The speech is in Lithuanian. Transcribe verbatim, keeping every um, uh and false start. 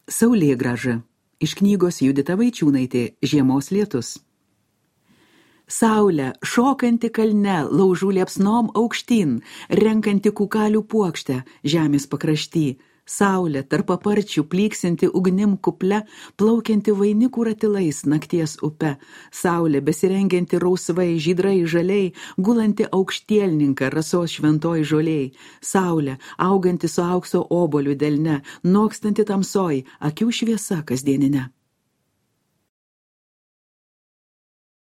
Saulėgrąža. Iš knygos Judita Vaičiūnaitė Žiemos lietus. Saulė, šokanti kalne, laužų liepsnom aukštyn, renkanti kukalių puokštę žemės pakrašty. Saulė, tarp paparčių pliksinti ugnim kuple, plaukianti vainikų ratilais nakties upe. Saulė, besirengianti rausvai, žydrai, žaliai, gulanti aukštielninką rasos šventoj žoliai. Saulė, auganti su aukso oboliu delne, nokstanti tamsoj, akių šviesa kasdieninė.